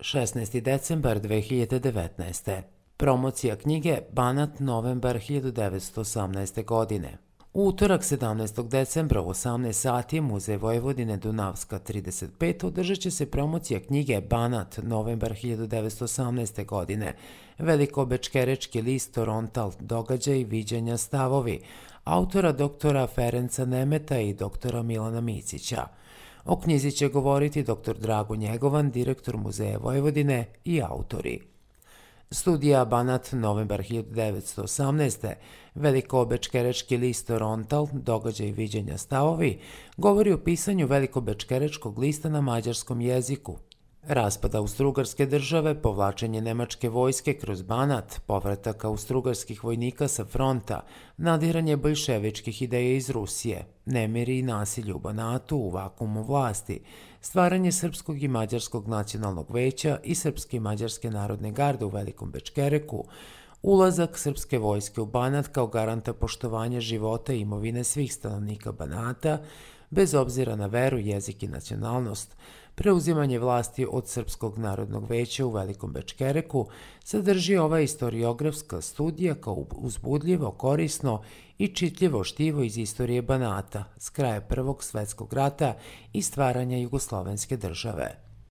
16. decembar 2019. Promocija knjige Banat novembar 1918. godine. U utorak 17. decembra u 18 sati Muzej Vojvodine Dunavska 35 održat će se promocija knjige Banat novembar 1918. godine, Velikobečkerečki list Torontal, događaj, viđenja, stavovi, autora doktora Ferenca Nemeta i doktora Milana Micića. O knjizi će govoriti dr. Drago Njegovan, direktor Muzeja Vojvodine i autori. Studija Banat novembar 1918. Velikobečkerečki list Torontal, događaj, viđenja, stavovi, govori o pisanju Velikobečkerečkog lista na mađarskom jeziku. Raspad Austrougarske države, povlačenje nemačke vojske kroz Banat, povratak austrougarskih vojnika sa fronta, nadiranje boljševičkih ideja iz Rusije, nemiri i nasilje u Banatu u vakuumu vlasti, stvaranje Srpskog i Mađarskog nacionalnog veća i Srpske i Mađarske narodne garde u Velikom Bečkereku, ulazak srpske vojske u Banat kao garanta poštovanja života i imovine svih stanovnika Banata, bez obzira na veru, jezik i nacionalnost, preuzimanje vlasti od Srpskog narodnog veća u Velikom Bečkereku, sadrži ova istoriografska studija kao uzbudljivo, korisno i čitljivo štivo iz istorije Banata s kraja Prvog svetskog rata i stvaranja Jugoslovenske države.